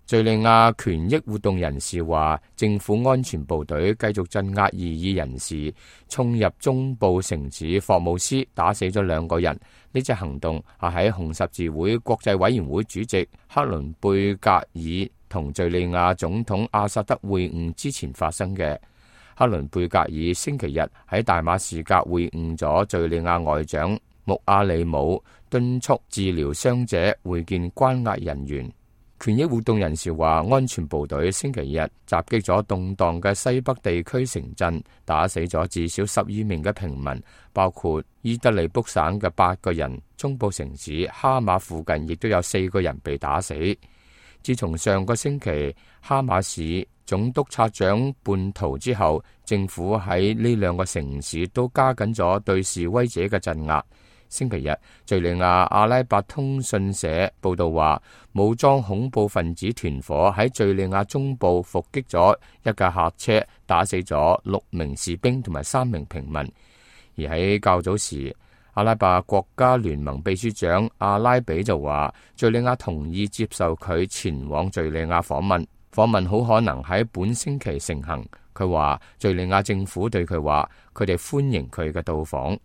敘利亞權益活動人士話，政府安全部隊繼續鎮壓異議人士，衝入中部城市霍姆斯，打死咗2個人。呢隻行動係喺紅十字會國際委員會主席克倫貝格爾同敘利亞總統阿薩德會晤之前發生嘅。克倫貝格爾星期日喺大馬士革會晤咗敘利亞外長穆阿里姆，敦促治療傷者，會見關押人員。權益活動人士話，安全部隊星期日襲擊咗動盪嘅西北地區城鎮，打死咗至少12名嘅平民，包括伊德利卜省嘅8個人。中部城市哈馬附近亦都有4個人被打死。自從上個星期哈馬市總督察長叛逃之後，政府喺呢2個城市都加緊咗對示威者嘅鎮壓。星期日，敘利亞阿拉伯通訊社報道話，武裝恐怖分子團伙喺敘利亞中部伏擊咗一架客車，打死咗6名士兵同埋3名平民。而喺較早時，阿拉伯國家聯盟秘書長阿拉比就話，敘利亞同意接受佢前往敘利亞訪問，訪問好可能喺本星期成行。佢話，敘利亞政府對佢話，佢哋歡迎佢嘅到訪。